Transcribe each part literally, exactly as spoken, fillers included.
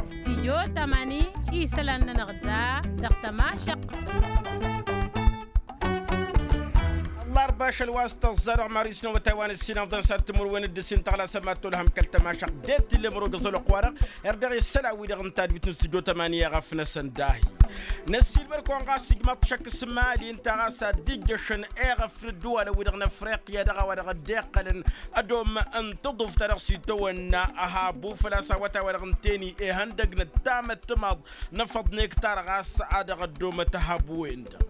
Stijyo tamani isălan-nănăɣ da dăɣ-tămašăq. Ăllarba ašăl wa s-tăẓẓa dăɣ-maris n-awătay wa n-ǝssin ăḍăn s-ad-timǝrwen d-ǝssin tăɣlasăm ad-tolhăm kăl-tămašăq d-e t-illa ămăro găẓăl oqq-wa-dăɣ. Erdăɣ isălan-wi-dăɣ ǝnta d-wit n-stijyo tamani i-ăɣăf-năsăn dahi. Năssiilmăr-kăwăn ɣas ijmaḍ-t šăkk s-imali ǝnta ɣas ad-dd-ijjăšăn eɣăf n-ăddǝwalăn-wi-dăɣ n-afriqya dăɣ-a-wa dăɣ-dd-iqqălăn ădom n-taḍuft-ta-dăɣ s-itawănna ăhabu făl-a-s awătay-wa-dăɣ n-teni ihăndăg n-ăttamăttămaḍ n-afăḍ n-ektar ɣas a dăɣ-ăddomăt ăhabu-wen-dăɣ.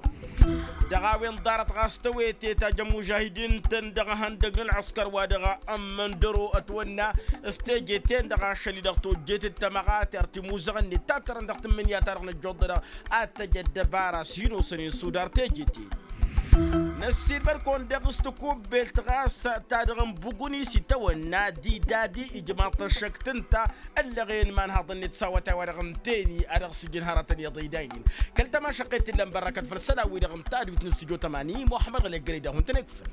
Dăɣ-a-wen ḍarăt ɣas tăwete tajă mužahidin-tăn dăɣ-ihăndăg n-ălɣǝskăr wa dăɣ-ămmăndăro ătwănna s-teje-ten-dăɣ ašăl-i-dăɣ tojjet d-tamăɣatert imuzăɣăn-net ta tărăn dăɣ-tǝmmǝnǝya-ta-dăɣ năjjoḍ-dăɣ ad-tăj ăddăbara s-hin-osăn insudar teje-ten. Năssiilmăd-kăwăn daɣ s-tikubbelt ɣas ta dăɣ-n buguni s-itawănna d-idadi ijmaḍ-t ăššăk tǝnta ăllăɣen imanhaḍăn-net s-awătay-wa-dăɣ n-teni a dăɣ-sǝjǝn hărătăn iyyăḍ idaynen. Kăl-tămašăqqet t-illa n-bărrăkăt făll-isălan-wi-dăɣ ǝnta d-wit n-stujo tămani muḥămmăd ɣălek gălăy daɣ hun-tăn-ikfăn.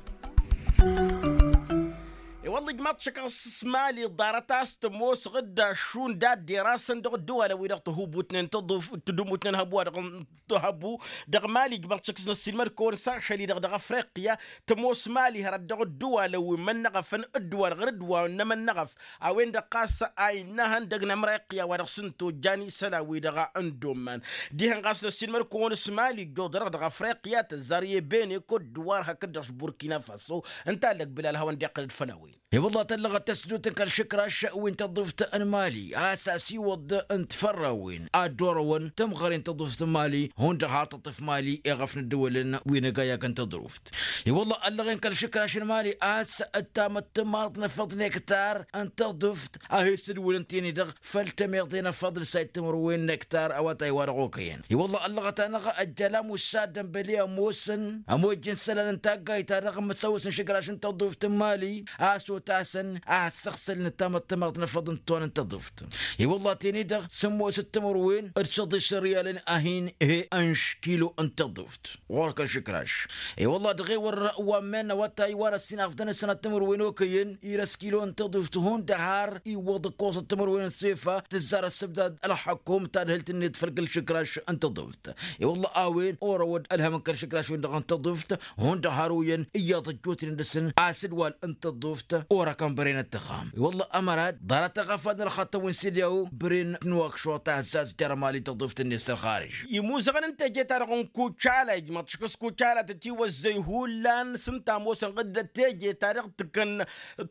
I-wălla ijmaḍ-t šăkk ɣas s-mali ḍarăt a-s tămoos ɣǝdda šund ad-derasăn dăɣ-ăddǝwalăn-wi-dăɣ tăhubutnen tăḍuf tǝdumutnen hăbu-wa-dăɣ n-tăhăbu dăɣ-mali ijmaḍ-t šăkk s-năssiilmăd-kăwăn s-ašăl-i-dăɣ dăɣ-afriqya. Tămoos mali hărăt dăɣ-ăddǝwalăn wi n-imănnăɣăfăn ăddǝwalăn ɣǝr-dd wa n-imănnăɣăf a-wen-dăɣ ɣas a innă ihăndăg n-amriqya wa dăɣ-s n-tojjan isălan-wi-dăɣ n-dd-omman. Dihen ɣas năssiilmăd-kăwăn s-mali ǝjjoḍărăɣ dăɣ-afriqya tăzzar i-ebene kod-dǝwar hakd-dăɣ s-burkina faso. Ǝnta allăg bilal hawăn-dd-iqqăl-dd făll-a-wen. I-wălla tăllăɣăt tăsdut n-kăl-išǝkraš wi n-tăḍuft n-mali a-s asiwăḍ n-tifărrawen ad-dd-orăwăn tămɣăre n-tăḍuft n-mali. Hundăɣ har tăṭṭǝf mali iɣăf n-ăddăwălăn wi n-agayag n-tăḍruft. I-wălla ăllăɣen kăl-išǝkraš n-mali a-s ăttamăttămaḍ n-afăḍ n-ektar n-tăḍuft a hi-sǝdwǝlăn tini-dăɣ făll-tămeḍe n-afăḍ n-sayt timǝrwen n-ektar awătay-wa-dăɣ okăyăn. I-wălla ăllăɣăt-anăɣ ăjjălam ussa dănbăli ămoosăn ămojjăn isălan n-taggayt-ta-dăɣ n-imǝsăwwăs n-išǝkraš n-tăḍuft n-mali a-s otasăn a ăssăɣsălăn ăttamăttămaḍ n-afăḍ n-ton n-tăḍuft. I-wălla teni-dăɣ sǝmmosăt timǝrwen d-săḍis n-riyalăn a hin-he-ănš kilo n-tăḍuft ɣur-kăl-išǝkraš. I-wălla dăɣ-ewăr wa n-men n-awătay wa n-ăssinafdăn ăssanat timǝrwen okăyăn irăs kilo n-tăḍuft hundăɣ har iwwăḍ ǝkkoẓăt timǝrwen n-sefa tǝzzar ăssǝbdad ălxăkum tadhǝlt-net făll-kăl-išǝkraš n-tăḍuft. I-wălla a-wen orăwăd ălhăm n-kăl-išǝkraš-wen-dăɣ n-tăḍuft hundăɣ har oyăn iyyăḍ ăjjootnen dăɣ-săn asǝdwal n-tăḍuft orăkăn băren ăttăxam. I-wălla ămărad ḍarăt aɣăfad n-ălxaṭṭăn wi n-sidyaw băren n-wakšuṭ a ăzzazjăr ămali tăḍuft-net s-ălxarǝj. Imuzăɣăn n-teje-ta-dăɣ n-kucala ijmăḍ-t šăkk s-kucala tătiwăzzăy hullan s-ǝnta ămoosăn ɣǝddăt teje-ta-dăɣ tǝkkăn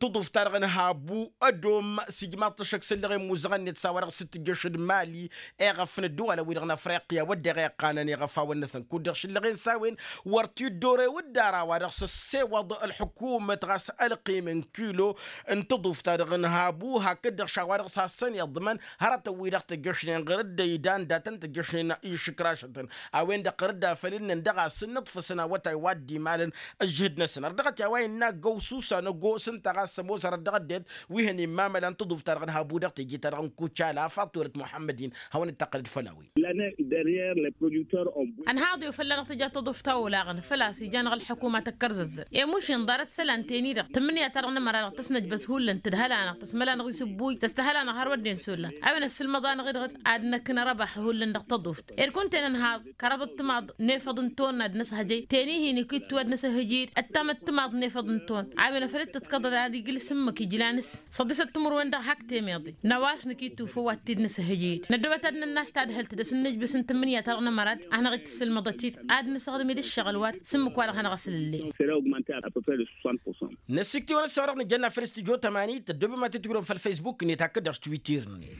tăḍuft-ta-dăɣ n-habu ădom s-ijmaḍ-t ăššăk s-ǝllăɣen imuzăɣăn-net s-a-wa-dăɣ s-tǝjjăš d-mali. Eɣăf n-ăddăwalăn-wi-dăɣ n-afriqya wădden iqqanăn iɣăfawăn-năsăn kud-dăɣ šǝllăɣen s-a-wen wăr t-dd-ore wǝdda ar a-wa-dăɣ s-ăssewăḍ ălḥukumăt ɣas ălqim n-kilo n-tăḍuft-ta-dăɣ n-habu hakd-dăɣ š-a-wa-dăɣ s-hasăn-iḍmăn hărătăn-wi-dăɣ tăjjăšnen ɣur-dd ăydan datăn tăjjăšnen išǝkrašătăn. A-wen-dăɣ ɣur-dd afăl ǝnnăn dăɣ-asǝnnǝḍfăsăn awătay wa dd-imalăn ǝžžǝhǝd-năsăn ărdăɣăt i-a-wa innă ăggăwsusa n-ăgos ǝnta ɣas ămoos hărăt dăɣ-ăddinăt wi hăn-immamălan tăḍuft-ta-dăɣ n-habu dăɣ-teje-ta-dăɣ n-kucala a faḍt turăt muḥămmăd-in. Hawăn-dd-tăqqălăd făll-a-wen. Ănhaḍ-ew fălla-năɣ tǝja tăḍuft a olaɣăn făl-a-s ija-năɣ ălḥăkumăt ăkkărzăzzăl i-mušin ḍarăt isălan-ten-i-dăɣ tǝmmǝnǝya-ta-dăɣ n-ămăra-dăɣ tăsnăjbăs hullan tǝdhăl-anăɣ tăsmăl-anăɣ isǝbbuy tăstăhăl-anăɣ har wădden s-ollan. A-wen ăssǝlmăḍ-anăɣ-i-dăɣ ad-năkk n-arăbaḥ hullan dăɣ-tăḍuft ed kunta-en ănhaḍ kăraḍăt timaḍ n-efăḍ n-ton ad-năshăjăy teni-hin ikittu ad-năsăhăjăy-dd ăttamăt timaḍ n-efăḍ n-ton. A-wen afăl dd-tǝḍkăḍăd ad-ija ǝlsǝmmǝk ijlan-s săḍisăt timǝrwen dăɣ-hak temeḍe. Năwas nǝkittu făw ad-t-dd-nǝsǝhǝjǝy-dd năddobăt ad-nănnas tadhǝlt d-asǝnnǝjbǝs n-tǝmmǝnǝya-ta-dăɣ n-ămărad ad-hanăɣ-dd-tǝssǝlmăḍăt-dd ad-nǝsăɣdǝm-dd ǝššăɣǝl wa d-sǝmmǝk-wa-dăɣ hanăɣ-asǝllǝllen. Năsikt'-iwăn ăssaɣ-dăɣ nǝjănna făll-studyo tămani tăddoobem ad-t-tǝjrǝwăm făll-faysbuk-net hakd-dăɣ s-twitter-net.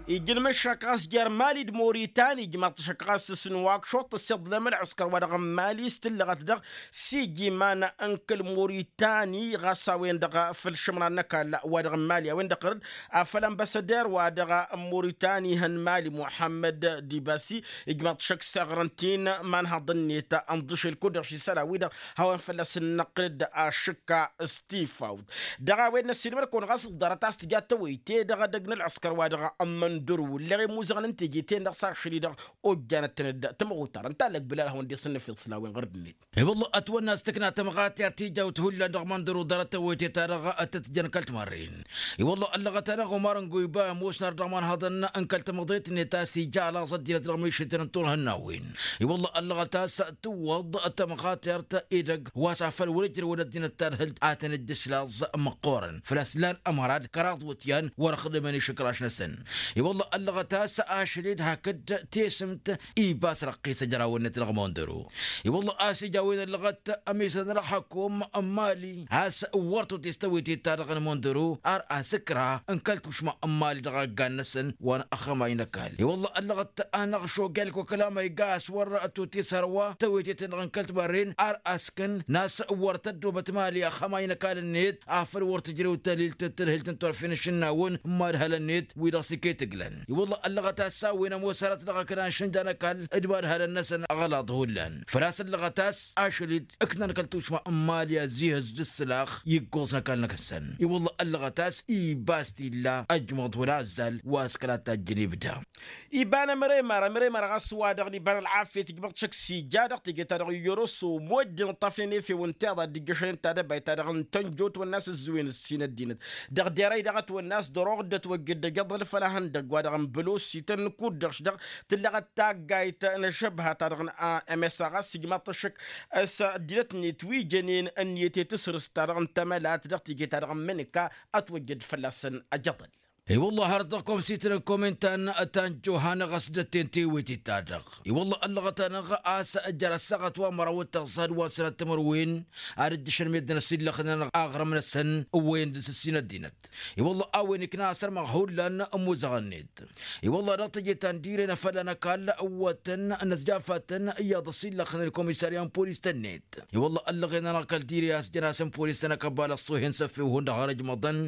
Ijǝlmǝššăk ɣas jer-mali d-moritan ijmaḍ-t šăkk ɣas s-nǝwak šuṭṭ ăssiḍlem ălɣǝskăr wa dăɣ-n mali s-tǝllăɣăt dăɣ-s ija iman n-kăl-moritani ɣas a-wen-dăɣ făll-išǝmran n-ăkall wa dăɣ-n mali a-wen-dăɣ ɣur-dd afăl ănbăsăder wa dăɣ-moritani ihăn mali muḥămmăd dibasi. Ijmaḍ-t šăkk s-aɣrǝntin imanhaḍăn-net ănḍǝšel kud-dăɣ š-isălan-wi-dăɣ hawăn-fălla-s ǝnnăqqǝl-dd ašǝkka. s-tifawt. Dăɣ-a-wen n-ăssiilmăr-kăwăn ɣas s-ḍarăt a-s tǝja tawăyte dăɣ-edăgg n-ălɣăskăr wa dăɣ-ămmăndăru ǝlleɣ i-imuzăɣăn n-teje-ten-dăɣ s-ašăl-i-dăɣ ojjanăt-tăn-dd tamăɣutar ǝnta a lăgbǝlal hawăn-dd-isǝnnǝf iḍǝslawen ɣur-dd-net. I-wălla ătwănna a-s tǝkna tămɣatert ijawt hullan dăɣ-măndăru ḍarăt tăwăyte-ta-dăɣ tăt-tǝjăn kăl-timarren. I-wălla ăllăɣăt-anăɣ umar n-goyba ămoosnar dăɣ-imanhăḍăn n-kăl-tamăḍret-net a-s ija ălaẓ ăddinăt dăɣ-mišǝtăn n-turhǝnnawen. I-wălla ăllăɣăt a-s tǝwwăḍ tămɣatert edăgg wa s-afăl wăr-ǝjrăwăn ăddinăt tadhǝlt ad-tăn-dd-islaẓ măqqoorăn făl-a-s lan ămărad kăraḍ iwǝtyan wăr-ăxdǝmăn išǝkraš-năsăn. I-wălla ăllăɣăt a-s ašăl-dd hakd tesǝmt ibas răqqis ăjrawăn-net dăɣ-măndăru. I-wălla a-s ija a-wen ăllăɣăt ămisăn ălxăkum n-imali a-s wăr totest tawăyte-ta-dăɣ n-măndăru ar asǝkra n-kăl-tušma n-imali dăɣ-aggan-năsăn wa n-axămay n-ăkall. I-wălla ăllăɣăt-anăɣ šogelko kăla ma iga a-s wăr totest hărwa tawăyte-ten-dăɣ n-kăl-timarren ar askăn n-a-s wăr tăddobăt imali axămay n-ăkall-net afăl wăr tǝjrew tălilt d-tadhǝlt n-turfen ašǝnnawăn n-imadhălăn-net wi-dăɣ s-iket ǝglăn. I-wălla ăllăɣăt a-s a-wen ămoos hărăt dăɣ-akăna n-išǝnja n-ăkall d-imadhălăn-năsăn ăɣlaḍ hullan făl-a-s ăllăɣăt a-s ašăl-dd ǝknan kăl-tušma n-imali ăzzihăz d-ǝssǝlax i-ǝggoẓ n-ăkall-năk-săn. I-wălla ăllăɣăt a-s ibas t-illa ăjmăḍ wăla ăzzal wa s-kăla tajjăn ibda. Iba n-ămremar ămremar ɣas wa-dăɣ n-iba n-ălɣafyăt ǝjmăḍ šăkk s-ija dăɣ-teje-ta-dăɣ i-oroso moddǝn ǝṭṭafnen efew ǝnta iḍa dd-ǝjjăšăn n-tadăbayt-ta-dăɣ n-tănjo ătwănna a-s ǝzzǝwen ǝssin ăddinăt dăɣ-derăy daɣ ătwănna a-s dăr-oɣ dd-ătwăjjăd ăjăḍăl făll-ahăndăgg wa dăɣ-n bălosi tăn-kuddeɣš dăɣ-tǝllăɣăt taggayt n-ašăbha-ta-dăɣ n-msa ɣas ǝjmaḍ-t ăššăk s-ăddinăt-net wi jănen ǝnniyăt i-tasrǝst-ta-dăɣ n-tamălat dăɣ-teje-ta-dăɣ n-mǝnǝka ătwăjjăd fălla-săn ăjăḍăl. I-wălla hărăt dăɣ-komsităn n-komintan ta n-johanăɣ a-s dd-ătten tewăytet-ta-dăɣ. I-wălla ăllăɣăt-anăɣ a-s jăr ăssaɣăt wa n-măraw d-taẓẓad wa n-sănat timǝrwen ad-ǝjjăšăn meddǝn ăsillăxnen aɣrǝm-năsăn ǝwwăyăn dăr-s ǝssin ăddinăt. I-wălla a-wen ikna asărmăɣ hullan n-imuzăɣăn-net. I-wălla dăɣ-teje ta n-dire n-afălla n-ăkall ǝwwătăn n-ăzjafatăn iyyăḍ ăsillăxnen komisarya n-polis-tăn-net. I-wălla ăllăɣen-anăɣ kăl-dire a-s jăn-asăn polis-tăn ăkăbbal ăṣṣohen s-ăffewhun dăɣ-har ăjmăḍăn.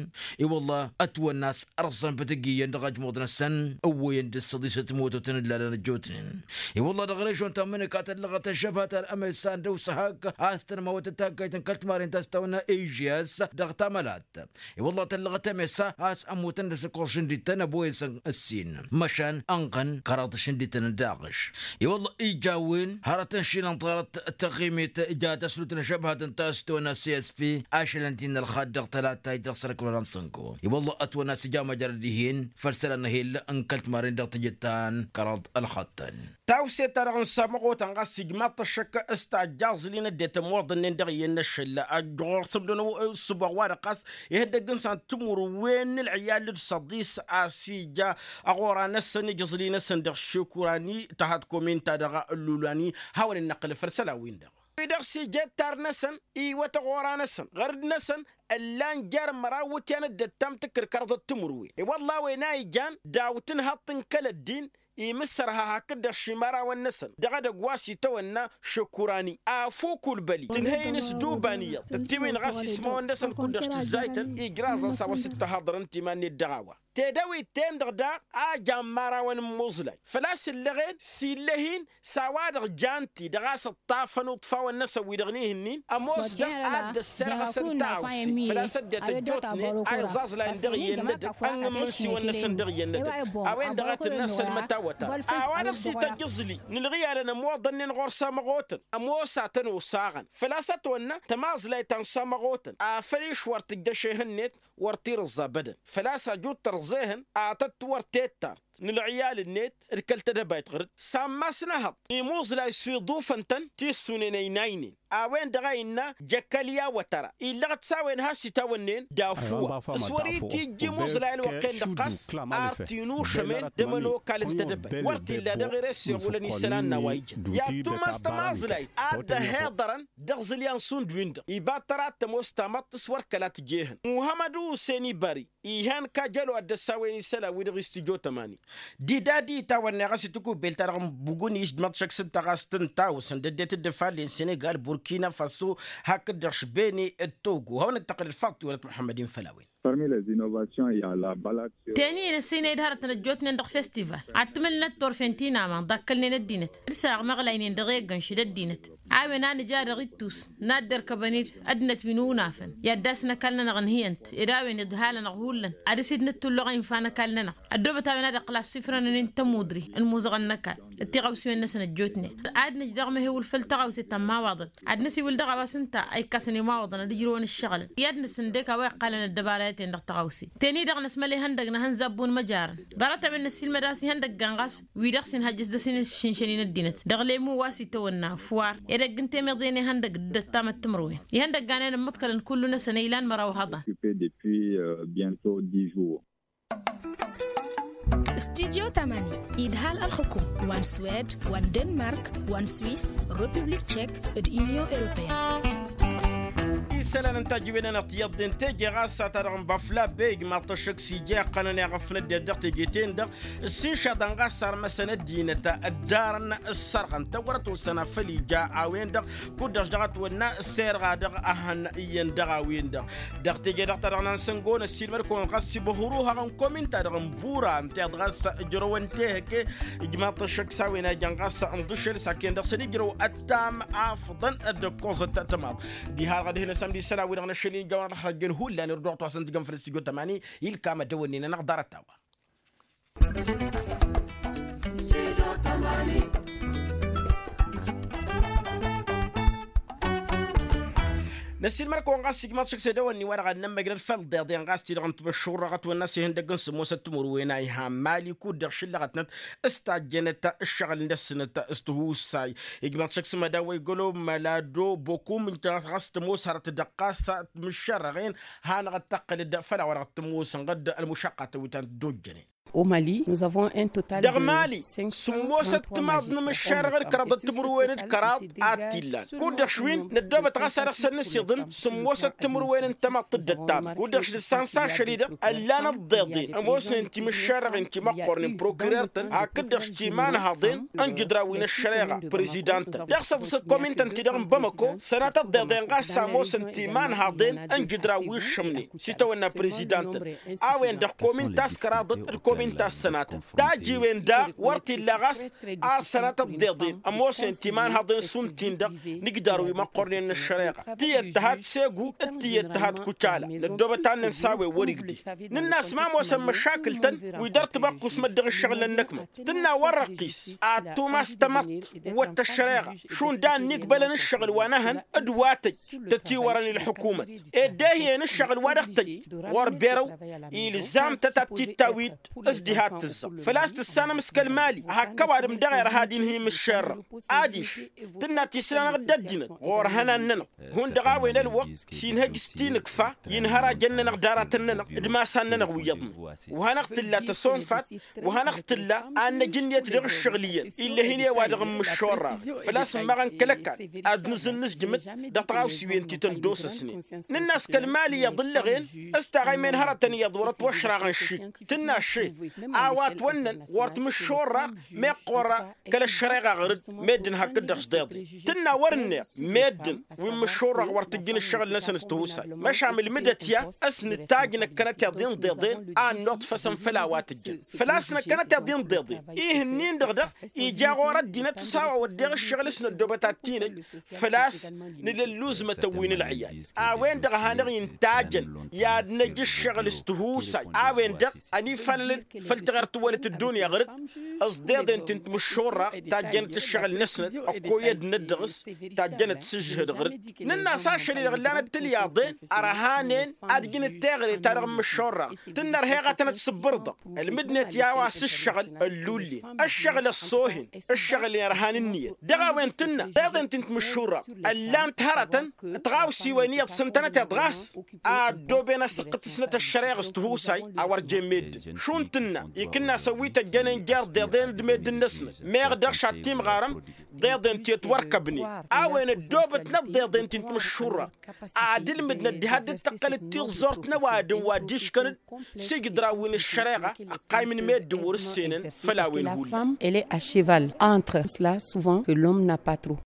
I-wălla ătwănna a-s ărẓăn bătăgg iyyăn dăɣ-ajmuḍ-năsăn ǝwwăyăn dăr-s săḍisăt mototăn ǝllalăn ăjjootnen. I-wălla dăɣ-režon ta n-mǝnǝka tăllăɣăt ăžžăbha ta n-amăysa ăndăw s-hak a-s tănmawăt d-taggayt n-kăl-timarent a-s tawănna ejyas dăɣ-tamălat. I-wălla tăllăɣăt amăysa a-s ămmutăn dăr-s ǝkkoẓ šǝndităn ăboyăsăn ǝssin măšan ănɣăn kăraḍ šǝndităn d-aɣǝš. I-wălla ija a-wen hărăt n-šinănḍarăt tăɣimet ja tăslut n-ažăbhat n-ta s-tăwănna csp ašălăn-t-in ălxad dăɣ-tălattayt dăɣ-sărăk wăla n-sănko. I-wălla ătwănna a-s ija măjrăd dihen făll-isălan n-ehel n-kăl-timarren dăɣ-teje ta n-kăraḍ ălxaḍ-tăn. Tawse-ta-dăɣ n-samăɣotăn ɣas ijmaḍ-t ăššăk s-tajja aẓli n-ăddinăt ămoḍănnen dăɣ-iyyăn n-ašăl ăjjoɣ-sămdăn ǝssǝboɣ-wa-dăɣ ɣas ihăddăgg n-san timǝrwen n-ǝlɣiyal d-săḍis a-s ija aɣora-năsăn ija aẓli-năsăn dăɣ-šekurani tăhăḍ komin-ta-dăɣ ăllulani hawăn-dd-năqqǝlăf făll-isălan-win-dăɣ. Wi-dăɣ s-ija ăttar-năsăn iwăt aɣora-năsăn ɣărd-năsăn ǝllan jer-măraw iwǝtyan d-ăttam tǝkkǝr kăraḍăt timǝrwen i-wălla a-wen a ijan daw-tǝnhăḍt n-kăl-ăddin imǝssărha hakd-dăɣ šimărawăn-năsăn dăɣ-edăgg wa s-itawănna šăkurani afuk ulbăli tǝnhăy-in s-duban iyyăḍ d-tiwin ɣas ismawăn-năsăn kud-dăɣ s-tǝzzaytăn ijraẓăn s-a-wa s-dd-tăhaḍărăn timan-net dăɣ-a-wa tedăwit-ten-dăɣ daɣ a jan imărawăn n-imuẓlay făl-a-s ǝllăɣen s-illăh-in s-a-wa-dăɣ jan-ti dăɣ-a-s ǝṭṭafăn uṭṭfawăn-năsăn wi-dăɣ n-ihǝnnin ămoos-dăɣ a dd-ăssirɣăsăn taɣǝwse făl-a-s ăddinăt ăjjootnen a iẓẓaẓlayăn dăɣ-iyyăn n-edăgg ănn imǝnsiwăn-năsăn dăɣ-iyyăn n-edăgg a-wen-dăɣ a tǝnna sălmăt awătay a-wa-dăɣ s-ităjj aẓli n-ǝlɣiyalăn ămoḍănnen ɣur-samăɣotăn ămoos a tăn-osaɣăn făl-a-s ătwănna tămaẓlayt ta n-samăɣotăn afăl išwăr tǝjjăš ehăn-net wăr t-irǝẓẓa abădăn făl-a-s aju d-tărẓa ehăn a tăt-wăr tettart n-ǝlɣiyal-net d-kăl-tedăbayt ɣur-dd sammas n-ehăḍ imuẓlay s-iḍufăn-tăn tissunen ăynaynen a-wen-dăɣ a innă jăkălya wătăra illăɣ-t s-a-wen has-itawănnen d-afuwa s-wăr-itijj imuẓlay ălwăqq-en-dăɣ ɣas ar t-inušămen d-ămănokal n-tedăbayt wăr t-illa dăɣ-ere s-iɣulăn isălan n-a-wa ijăn i-ad-tumas tămaẓlayt a dd-ăhiḍărăn dăɣ-iẓǝlyan šund-win-dăɣ iba tăra ad-tămoos tamăḍt s-wăr kăla tǝj'-ehăn muhămmăd usen ibari. Ihan kajălo ad-dd-ăssawen isălan-wi-dăɣ s-tijot ămani. Didadi tawănna ɣas itǝkubbel-ta-dăɣ n-bugunis d-măḍšăk s-ǝnta ɣas tǝntawǝsăn d-ăddinăt dd-ăfallen senegal burkina faso hakd-dăɣ šbene d-togo hawăn-dd-tăqqǝlăd faḍt tiwălăt muḥămmăd-in făll-a-wen. Parmi les innovations i-a la balade. Teni-en ăssinăy d-hărătăn ăjjootnen dăɣ-festival ad-tǝmǝlnăt turfen ti n-aman ḍakkălnen ăddinăt d-săɣ măɣlaynen dăɣ-eggăn šid ăddinăt. A-wen a nǝja dăɣ-ittus n-ad-derkăbăn-dd ăddinăt wi n-unafăn i-ad-dd-asǝn ăkall-nănăɣ ǝnhǝyăn-t ed a-wen iḍhalăn-aɣ hullan ad-dăɣ-s dd-nǝttullăɣ a infa n-ăkall-nănăɣ. Ăddoobăt a-wen a dăɣ-klassifrănăn n-tămudre n-imuzăɣăn n-ăkall d-tiɣawsiwen-năsăn ăjjootnen. Ad-nǝj dăɣ-mehewǝl făll-tăɣawse ta n-imawaḍăn ad-nǝsiwǝl dăɣ-a-wa s-ǝnta a ikkasăn imawaḍăn ad-ǝjrǝwăn ǝššăɣǝlăn i-ad-nǝsǝndek a-wa iqqalăn ăddăbarayăten dăɣ-tăɣawse. Teni-dăɣ năsmăl ihăndăg n-ehăn zabbun măjarăn ḍarăt a-wen năssiilmăd a-s ihăndăggan ɣas wi-dăɣ s-inhăjjăs dăɣ-s inšǝnšăn-in ăddinăt dăɣ-lemu wa s-itawănna fwar edăgg n-temeḍe n-ihăndăg d-ăttamăt timǝrwen. Ihăndăggan-en ǝmmǝḍkălăn kullu-năsăn ilan măraw hăḍan. Studyo tamani idhal ălxǝkum wa n-swed wa n-denmark wa n-swis, republik tšek d-inyon europeyăn. Isălan n-tajǝwen-anăɣ tiyyăḍ-den teje ɣas s-ad-ta-dăɣ n-bafla bey ijmaḍ-t ăššăk s-ija iqqănăn i-aɣăfnăt-dd dăɣ-teje-ten-dăɣ. S-inšaḍăn ɣas sarmăsăn ăddinăt ăddarăn s-sărɣăn tăwărăt osăn afăl ija a-wen-dăɣ kud-dăɣ s-dăɣ-ătwănna s-erɣa dăɣ-ehăn iyyăn dăɣ-a-wen-dăɣ. Dăɣ-teje-dăɣ ta dăɣ-năn-săngon ăssiilmăd-kăwăn ɣas s-ibăhru haɣăn komin-ta-dăɣ n-bura ǝnta i-dd ɣas ǝjrăwăn tehăke. Ijmaḍ-t ăššăk s-a-wen a ijăn ɣas ǝnḍǝšel s-akken dăɣ-săn ijrăw ăttam afḍăn d-ǝkkoẓăt tămaḍ. Diha-dăɣ ad-hin-ăsămd isălan-wi-dăɣ n-ašăl-in jawăn ad-ăxrăjjăn hullan irduɣ-t wa s-ǝntǝjăn făll-studyo tămani. Ilkam ad-dăwănnen-anăɣ ḍarăt-a-wa. Năssiilmăd-kăwăn ɣas ijmaḍ šăkk s-edăwănni-wa-dăɣ ad-nămmăjnăd făll-iḍeḍen ɣas ti-dăɣ n-timǝššurrăɣ ătwănna s-ihăndăgg n-sǝmmosăt timǝrwen a iha n-mali kud-dăɣ šǝllăɣătnăt s-tajjănăt ǝššăɣǝl-năsnăt s-tihusay. Ijmaḍ šăkk s-mădaw wa igălo mălado bokum ǝnta ɣas tămoos hărăt dăɣ-ɣas timǝššărrăɣen. Hanăɣ-dd-tăqqǝl-dd făll-a-wa-dăɣ tămoosăn ɣǝd ălmušăqqatăn wi ta n-dd-ojjănen. Dăɣ-mali sǝmmosăt timaḍ n-imǝššarrăɣ d-kăraḍăt timǝrwen d-kăraḍ a t-illan kud-dăɣ šwin năddoobăt ɣas ad-dăɣ-săn nǝsiḍǝn sǝmmosăt timǝrwen n-tămaḍt d-ăttam kud-dăɣ š-dăɣ-s ansa ašăl-i-dăɣ ăllan ǝḍḍeḍen ămoosnen timǝššarrăɣen timăqqornen prokirer-tăn hakd-dăɣ š-timanhaḍen n-jǝdraw wi n-ăššăreɣa. Prezidant-tăn dăɣ-săḍǝsăt komin-tăn-ti-dăɣ n-bamăko sănatăt d-eḍen ɣas s-ămoosăn timanhaḍen n-jǝdraw wi ǝššǝmnen s-itawănna prezidant-tăn. A-wen-dăɣ komin-ta s-kăraḍăt d-komin-ta s-sănatăt tajiwen daɣ wăr t-illa ɣas ar sănatăt d-eḍen ămoosnen timanhaḍen šund-tin-dăɣ n-ǝjdar wi măqqornen n-ăššăreɣa. Tiyyăt tǝhat segu d-tiyyăt tǝhat kucala. Năddoobăt a ǝnnăn s-a-wen wăr-igdǝy nǝnn'-as ma ămoosăn măšakǝl-tăn wi dăr-tibăqqus măddăɣ ǝššăɣǝl n-ănnăkmăt tǝnna wăr-răqqis ad-tumas tămăḍt wăr t-ăššăreɣa šund a ǝnnigbălăn ǝššăɣǝl wa n-ehăn d-wa tăj tătiwărăn i-ălḥukumăt. Ed deh-iyyăn ǝššăɣǝl wa dăɣ-tăj ɣur-berăw ilzam-tăt ad-t-dd-tawi-dd s-diha t-tǝzzăɣ făl-a-s tǝssanăm s-kăl-mali hak ăwadǝm dăɣ-erha d-inhǝy imǝššerrăɣ. Adiš tǝnna tisla-năɣ d-ăddinăt ɣur-ihănan-nănăɣ hundăɣ a-wen ălwăqq s-inhăj s-tinǝkfa i-inhărajăn-nănăɣ d-aratăn-nănăɣ d-imasan-nănăɣ wi iyyăḍnen. Wa hanăɣ-tǝlla tăsonfat wa hanăɣ-tǝlla a n-năj ǝnniyăt dăɣ-ǝššăɣǝl iyyăn ill'-e-hin i-wa-dăɣ n-imǝššorraɣ. Făl-a-s ǝmmaɣăn kăl-ăkall ad-nǝzǝnnǝzjǝmǝd dăɣ-tiɣawsiwen ti tăn-dd-osăsnen. Nǝnn'-as kăl-mali iyyăḍ ǝllăɣen s-taɣăymen hărătăn iyyăḍ wăr-ătwăšraɣăn šik tǝnna šef a-wa ătwănnăn wăr t-imǝššorraɣ meqqor kăl-ăššăreɣa ɣǝr-dd. Meddǝn hakd-dăɣ s-deḍen tǝnna wăr-ǝnneɣ meddǝn wi n-imǝššorraɣ wăr t-ǝjjǝn ǝššăɣǝl-năsăn s-tihusay. Măšan ǝlmǝdăt i-ad-s nǝtajj năkkănăteḍ-i n-iḍeḍen a ănnuḍfăsăn făll-a-wa tǝjjăn făl-a-s năkkănăteḍ-i n-iḍeḍen ih'-ǝnnin-dăɣ daɣ ija ɣur-ăddinăt s-a-wa wădden ǝššăɣǝl s-năddoobăt ad-t-inăj. Făl-a-s nǝla ǝlluzmătăn wi n-ǝlɣǝyal a-wen-dăɣ a hanăɣ-intajăn i-ad-năj ǝššăɣǝl s-tihusay a-wen-dăɣ ănifalălăn făll-tiɣăr tǝwwălăt ăddunya ɣur-dd. S-deḍen ti n-timǝššorraɣ tajjănăt ǝššăɣǝl-năsnăt ăkkoyădnăt dăɣ-s tajjănăt s-ǝžžǝhǝd ɣur-dd. Nǝnn'-as ašăl-i-dăɣ ǝllanăt tilyaḍen ărhanen ad-ǝjǝnăt teɣăre-ta-dăɣ n-imǝššorraɣ tǝnna ărheɣ ad-tănăt-sǝbbǝrǝdăɣ. Ălmǝdnet i-a-wa s-ǝššăɣǝl ăllulle ǝššăɣǝl ăṣṣoohen ǝššăɣǝl i-ărhan ǝnniyăt dăɣ-a-wen tǝnna deḍen ti n-timǝššurraɣ ăllan-t hărătăn. Tiɣawsiwen iyyăḍ s-ǝntănăteḍ ɣas a ăddooben asǝqqǝt-snăt ăššăreɣ s-tihusay a wăr jen meddǝn šund tǝnna ikǝnnas ăwwităjjănen jer-deḍen d-meddǝn-năsnăt meɣ dăɣ-š ad-timɣarăm deḍen ti ătwărkăbnen. A-wen ăddoobătnăt deḍen ti n-timǝššurraɣ ad-ǝlmǝdnăt diha dd-tăqqălăt tiẓẓort n-ăwadǝm wa dd-iškăn-dd s-ijǝdraw wi n-ăššăreɣa ăqqaymǝn meddǝn wăr-ǝssenăn. Făll-a-wen hullan. Elle est à cheval entre cela souvent que l'homme n'a pas trop.